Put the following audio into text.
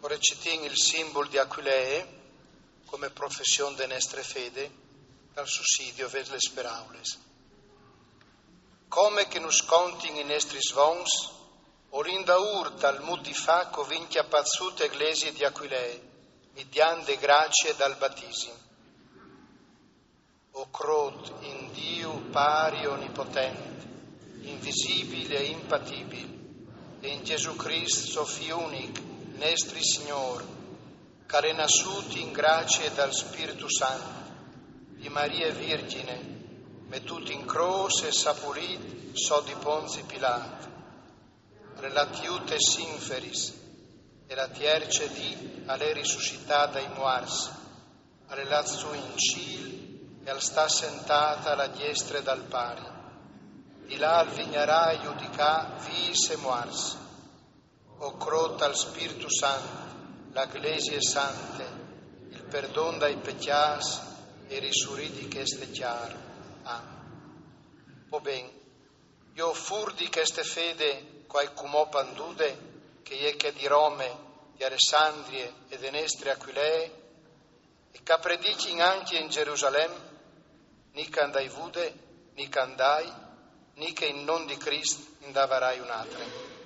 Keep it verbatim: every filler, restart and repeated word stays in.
O recitìn il simbul di Aquilee come profession de nestre fede, dal susidio vês les peraules. Come che nus contin i nestris vons, o lin daûr tal mût di fâ che o vin cjapât sù te glesie di Aquilee, midiant de gracie dal batisim. O crôt in Diu Pari onipotent, invisibil e impatibil, e in Jesù Crist, so Fi unic, nestri Signôr, che al è nassût in gracie dal Spirtu Sant, di Marie Virgjine, metût in crôs e sapulît sot di Ponzi Pilât. Al è lât jù tes inferis, e la tierce dì al è risussitât dai muarts, al è lât sù in cîl e al sta sentât a la diestre dal Pari. Di là al vignarà a judicâ vîfs e muarts. O crôt al Spirtu Sant, la Glesie Sante, il perdon dai pecjâts e risurî di cheste cjar. Amen. Po ben, jo fûr di cheste fede che o ai cumò pandude, che e je chê di Rome, di Alessandrie e de nestre Aquilee, e che a predicjin ancje in Gjerusalem, ni che a 'nd ai vude, ni che a 'nd ai, ni che in non di Crist 'nd avarai une altre.